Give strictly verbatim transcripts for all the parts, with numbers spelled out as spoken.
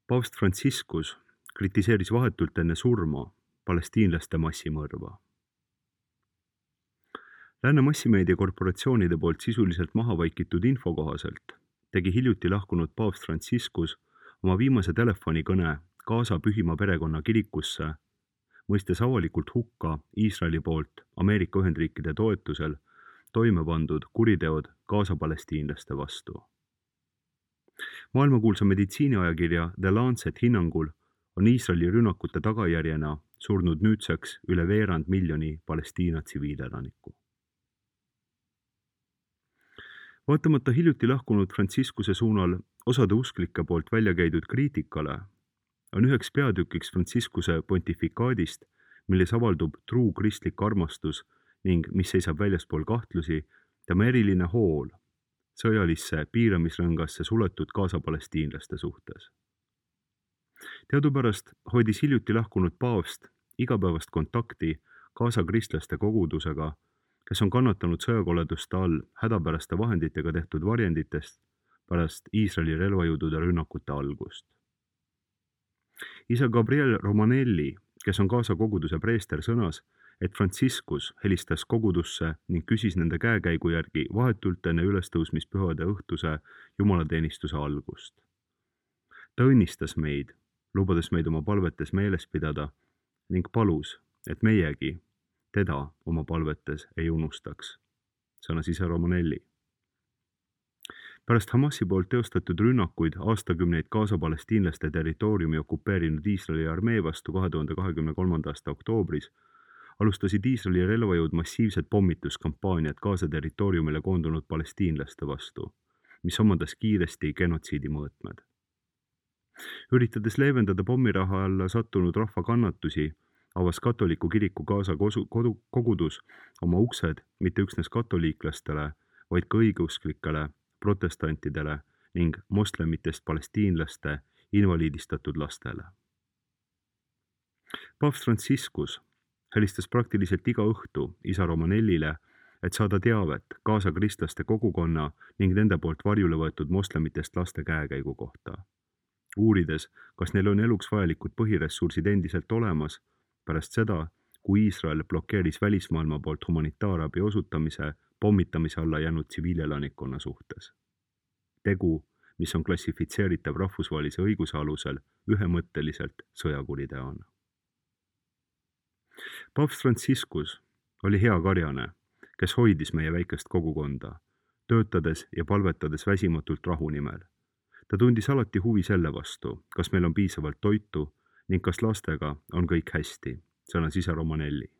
Paavst Franciscus kritiseeris vahetult enne surma palestiinlaste massimõrva. Lääne massimeedia korporatsioonide poolt sisuliselt maha vaikitud info kohaselt tegi hiljuti lahkunud paavst Franciscus oma viimase telefonikõne Gaza Pühima perekonna kirikusse, mõistes avalikult hukka Iisraeli poolt Ameerika Ühendriikide toetusel toime pandud kuriteod Gaza palestiinlaste vastu. Maailmakuulsa meditsiiniajakirja The Lancet hinnangul on Iisraeli rünnakute tagajärjena surnud nüüdseks üle veerand miljoni Palestiina tsiviilelaniku. Vaatamata hiljuti lahkunud Franciscuse suunal osade usklike poolt välja käidud kriitikale, on üheks peatükiks Franciscuse pontifikaadist, milles avaldub truu kristlik armastus ning mis seisab väljaspool kahtlusi, tema eriline hool sõjalisse piiramisrõngasse suletud Gaza palestiinlaste suhtes. Teadupärast hoidis hiljuti lahkunud paavst igapäevast kontakti Gaza kristlaste kogudusega, kes on kannatanud sõjakoleduste all hädapäraste vahenditega tehtud varjenditest pärast Iisraeli relvajõudude rünnakute algust. Isa Gabriel Romanelli, kes on Gaza koguduse preester, sõnas, et Franciscus helistas kogudusse ning küsis nende käekäigu järgi vahetult enne ülestõusmispühade õhtuse jumalateenistuse algust. Ta õnnistas meid, lubades meid oma palvetes meeles pidada ning palus, et meiegi teda oma palvetes ei unustaks, sõnas isa Romanelli. Pärast Hamasi poolt teostatud rünnakuid aastakümneid Gaza palestiinlaste territooriumi okupeerinud Iisraeli armee vastu kahe tuhande kahekümne kolmanda aasta oktoobris alustasid Iisraeli relvajõud massiivset pommituskampaaniat Gaza territooriumile koondunud palestiinlaste vastu, mis omandas kiiresti genotsiidi mõõtmed. Üritades leevendada pommiraha alla sattunud rahva kannatusi, avas katoliku kiriku Gaza kodu, kogudus oma uksed mitte üksnes katoliiklastele, vaid ka õigeusklikele, protestantidele ning moslemitest palestiinlaste invaliidistatud lastele. Paavst Franciscus helistas praktiliselt iga õhtu isa Romanellile, et saada teavet Gaza kristlaste kogukonna ning nende poolt varjule võetud moslemitest laste käekäigu kohta, uurides, kas neil on eluks vajalikud põhiressursid endiselt olemas pärast seda, kui Iisrael blokeeris välismaailma poolt humanitaarabi osutamise pommitamise alla jäänud tsiviilelanikkonna suhtes. Tegu, mis on klassifitseeritav rahvusvahelise õiguse alusel ühemõtteliselt sõjakuriteona. Paavst Franciscus oli hea karjane, kes hoidis meie väikest kogukonda, töötades ja palvetades väsimatult rahu nimel. Ta tundis alati huvi selle vastu, kas meil on piisavalt toitu ning kas lastega on kõik hästi, sõnas isa Romanelli.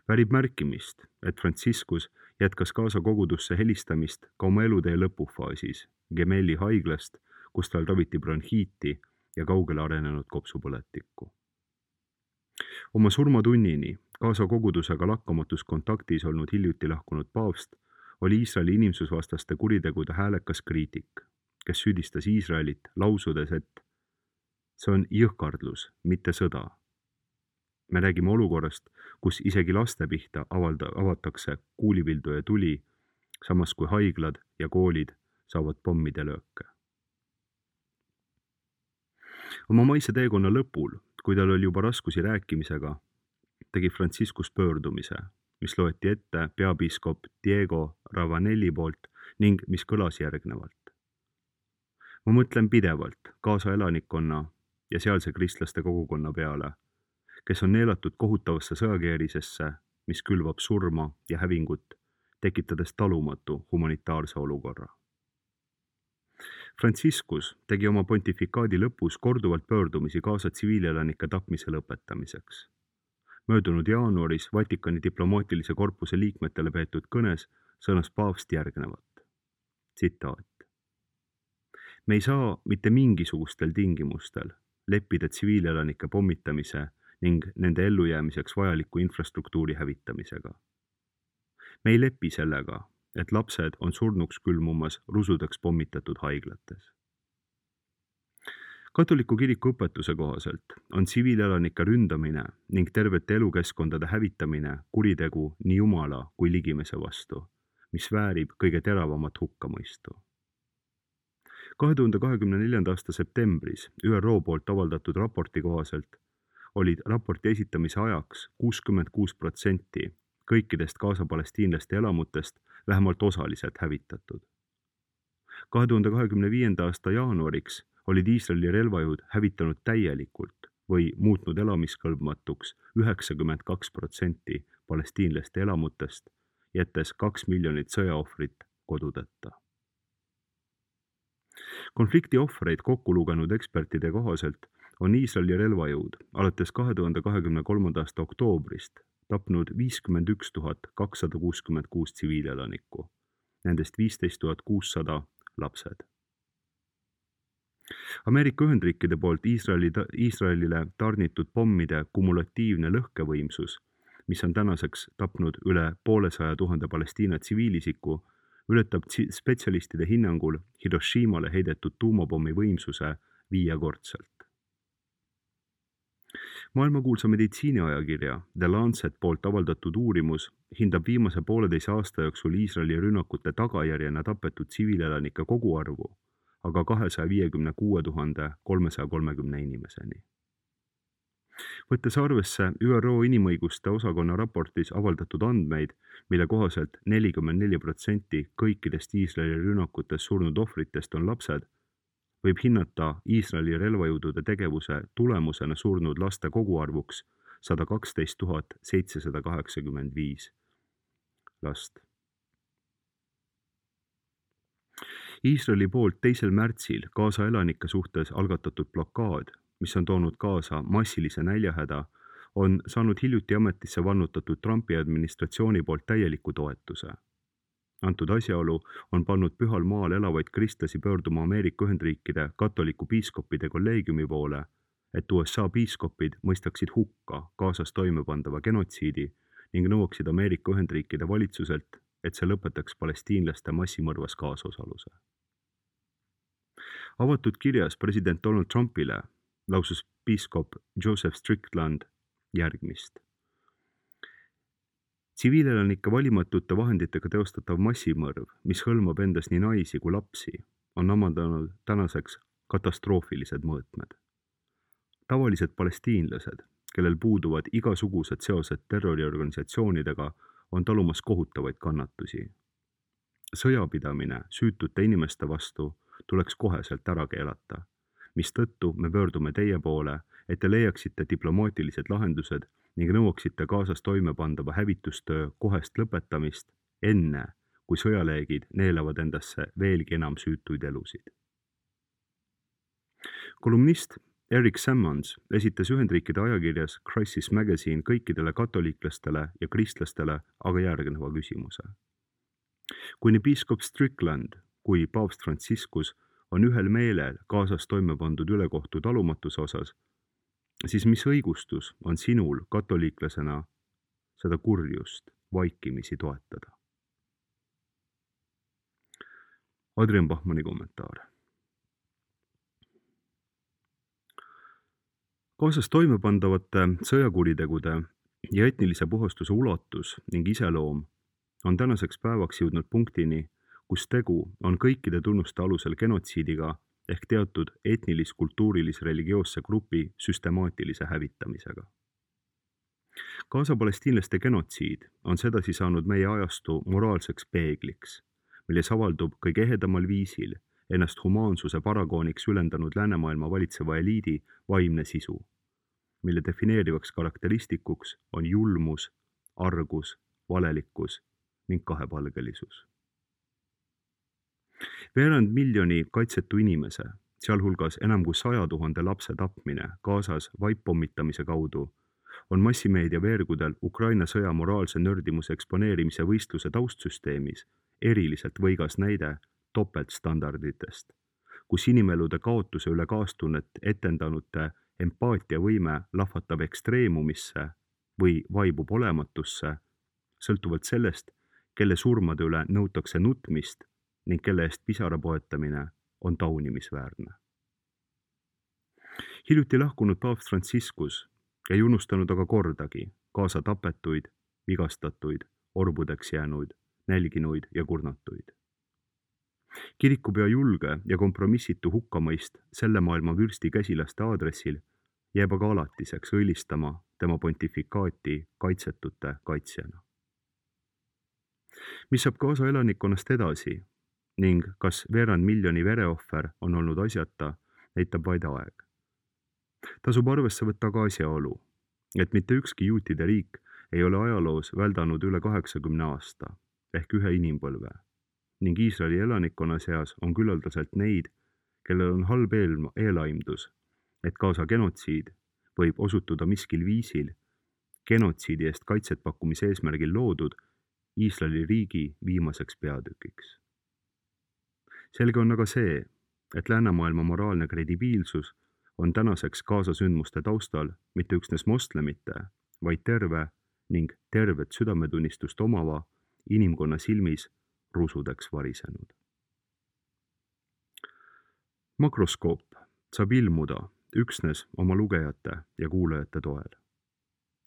Värib märkimist, et Franciscus jätkas Gaza kogudusse helistamist ka oma elutee lõpufaasis Gemeli haiglast, kus tal raviti bronhiiti ja kaugele arenenud kopsupõletikku. Oma surmatunnini Gaza kogudusega lakkamatus kontaktis olnud hiljuti lahkunud paavst oli Iisraeli inimsusvastaste kuritegude häälekas kriitik, kes süüdistas Iisraelit lausudes, et see on jõhkardlus, mitte sõda. Me räägime olukorrast, kus isegi laste pihta avalda, avatakse kuulipildu ja tuli, samas kui haiglad ja koolid saavad pommide lööke. Oma maise teekonna lõpul, kui tal oli juba raskusi rääkimisega, tegi Franciscus pöördumise, mis loeti ette peapiiskop Diego Ravanelli poolt ning mis kõlas järgnevalt. Ma mõtlen pidevalt Gaza elanikkonna ja sealse kristlaste kogukonna peale, kes on neelatud kohutavasse sõjakeerisesse, mis külvab surma ja hävingut, tekitades talumatu humanitaarse olukorra. Franciscus tegi oma pontifikaadi lõpus korduvalt pöördumisi Gaza tsiviilelanike tapmise lõpetamiseks. Möödunud jaanuaris Vatikani diplomaatilise korpuse liikmetele peetud kõnes sõnas paavst järgnevat. Tsitaat. Me ei saa mitte mingisugustel tingimustel leppida tsiviilelanike pommitamise ning nende ellujäämiseks vajaliku infrastruktuuri hävitamisega. Me ei lepi sellega, et lapsed on surnuks külmumas rusudeks pommitatud haiglates. Katoliku kiriku õpetuse kohaselt on tsiviilelanike ründamine ning tervete elukeskkondade hävitamine kuritegu nii Jumala kui ligimese vastu, mis väärib kõige teravamat hukkamõistu. kahe tuhande kahekümne neljanda aasta septembris Ü R O poolt avaldatud raporti kohaselt olid raporti esitamise ajaks kuuskümmend kuus protsenti kõikidest Gaza palestiinlaste elamutest vähemalt osaliselt hävitatud. kahe tuhande kahekümne viienda aasta jaanuariks olid Iisraeli relvajõud hävitanud täielikult või muutnud elamiskõlbmatuks üheksakümmend kaks protsenti palestiinlaste elamutest, jättes kaks miljonit sõjaohvrit kodudeta. Konflikti ohvreid kokku lugenud ekspertide kohaselt on Iisraeli relvajõud alates kahe tuhande kahekümne kolmanda aasta oktoobrist tapnud viiskümmend üks tuhat kakssada kuuskümmend kuus tsiviilelanikku, nendest viisteist tuhat kuussada lapsed. Ameerika Ühendriikide poolt Iisraeli, Iisraelile tarnitud pommide kumulatiivne lõhkevõimsus, mis on tänaseks tapnud üle poolesaja tuhande Palestiina tsiviilisiku, ületab spetsialistide hinnangul Hiroshimale heidetud tuumapommi võimsuse viiekordselt. Maailmakuulsa meditsiiniajakirja The Lancet poolt avaldatud uurimus hindab viimase pooleteise aasta jooksul Iisraeli rünnakute tagajärjena tapetud tsiviilelanike koguarvu, aga kahesaja viiekümne kuue tuhande kolmesaja kolmekümne inimeseni. Võttes arvesse Ü R O inimõiguste osakonna raportis avaldatud andmeid, mille kohaselt nelikümmend neli protsenti kõikidest Iisraeli rünnakutes surnud ohvritest on lapsed, võib hinnata Iisraeli relvajõudude tegevuse tulemusena surnud laste koguarvuks sada kaksteist tuhat seitsesada kaheksakümmend viis last. Iisraeli poolt teisel märtsil Gaza elanike suhtes algatatud blokaad, mis on toonud kaasa massilise näljahäda, on saanud hiljuti ametisse vannutatud Trumpi administratsiooni poolt täieliku toetuse. Antud asjaolu on pannud pühal maal elavaid kristlasi pöörduma Ameerika Ühendriikide katoliku piiskopide kolleegiumi poole, et U S A piiskopid mõistaksid hukka Gazas toimepandava genotsiidi ning nõuaksid Ameerika Ühendriikide valitsuselt, et see lõpetaks palestiinlaste massimõrvas kaasosaluse. Avatud kirjas president Donald Trumpile lausus piiskop Joseph Strickland järgmist. Tsiviilelanike valimatute vahenditega teostatav massimõrv, mis hõlmab endas nii naisi kui lapsi, on omandanud tänaseks katastroofilised mõõtmed. Tavalised palestiinlased, kellel puuduvad igasugused seosed terroriorganisatsioonidega, on talumas kohutavaid kannatusi. Sõjapidamine süütute inimeste vastu tuleks koheselt ära keelata, mistõttu me pöördume teie poole, et te leiaksite diplomaatilised lahendused ning nõuaksite Gazas toimepandava hävitustöö kohest lõpetamist enne, kui sõjaleegid neelavad endasse veelgi enam süütuid elusid. Kolumnist Eric Sammons esitas Ühendriikide ajakirjas Crisis Magazine kõikidele katoliiklastele ja kristlastele aga järgneva küsimuse. Kui nii piiskop Strickland kui paavst Franciscus on ühel meelel Gazas toime pandud ülekohtu talumatuse osas, siis mis õigustus on sinul katoliiklasena seda kurjust vaikimisi toetada? Adrian Bachmanni kommentaar. Gazas toimepandavate sõjakuritegude ja etnilise puhastuse ulatus ning iseloom on tänaseks päevaks jõudnud punktini, kus tegu on kõikide tunnuste alusel genotsiidiga ehk teatud etnilis-kultuurilis-religioosse grupi süstemaatilise hävitamisega. Gaza palestiinlaste genotsiid on sedasi saanud meie ajastu moraalseks peegliks, milles avaldub kõige ehedamal viisil ennast humaansuse paragooniks ülendanud läänemaailma valitseva eliidi vaimne sisu, mille defineerivaks karakteristikuks on julmus, argus, valelikkus ning kahepalgelisus. Veerand miljoni kaitsetu inimese, sealhulgas enam kui saja tuhande lapse tapmine Gazas vaippommitamise kaudu, on massimeedia veergudel Ukraina sõja moraalse nördimuse eksponeerimise võistluse taustsüsteemis eriliselt võigas näide topeltstandarditest, kus inimelude kaotuse üle kaastunnet etendanute empaatiavõime lahvatab ekstreemumisse või vaibub olematusse, sõltuvalt sellest, kelle surmade üle nõutakse nutmist ning kelle eest pisara poetamine on taunimisväärne. Hiljuti lahkunud paavst Franciscus ei unustanud aga kordagi Gaza tapetuid, vigastatuid, orbudeks jäänuid, nälginuid ja kurnatuid. kirikupea julge ja kompromissitu hukkamõist selle maailma vürsti käsilaste aadressil jääb aga alatiseks õilistama tema pontifikaati kaitsetute kaitsjana. Mis saab Gaza elanikkonnast edasi ning kas veerand miljoni vereohver on olnud asjata, näitab vaid aeg. Tasub arvesse võtta ka asjaolu, et mitte ükski juutide riik ei ole ajaloos väldanud üle kaheksakümne aasta ehk ühe inimpõlve ning Iisraeli elanikkonna seas on küllaldaselt neid, kellel on halb eel- eelaimdus, et Gaza genotsiid võib osutuda miskil viisil genotsiidi eest kaitset pakkumise eesmärgil loodud Iisraeli riigi viimaseks peatükiks. Selge on aga see, et läänemaailma moraalne kredibiilsus on tänaseks Gaza sündmuste taustal mitte üksnes moslemite, vaid terve ning tervet südametunnistust omava inimkonna silmis rusudeks varisenud. Makroskoop saab ilmuda üksnes oma lugejate ja kuulajate toel.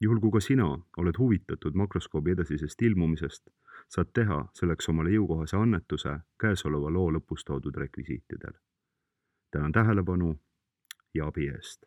Juhul kui ka sina oled huvitatud makroskoobi edasisest ilmumisest, saad teha selleks omale jõukohase annetuse käesoleva loo lõpus toodud rekvisiitidel. Tänan tähelepanu ja abi eest.